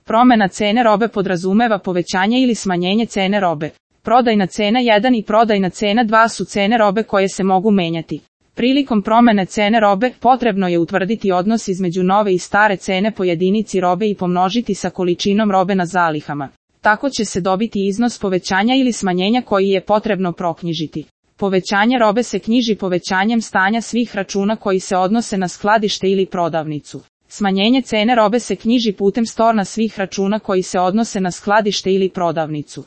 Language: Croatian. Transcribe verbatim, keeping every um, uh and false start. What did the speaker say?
Promjena cene robe podrazumeva povećanje ili smanjenje cene robe. Prodajna cena jedan i prodajna cena dva su cene robe koje se mogu menjati. Prilikom promjene cene robe, potrebno je utvrditi odnos između nove i stare cene po jedinici robe i pomnožiti sa količinom robe na zalihama. Tako će se dobiti iznos povećanja ili smanjenja koji je potrebno proknjižiti. Povećanje robe se knjiži povećanjem stanja svih računa koji se odnose na skladište ili prodavnicu. Smanjenje cene robe se knjiži putem storna svih računa koji se odnose na skladište ili prodavnicu.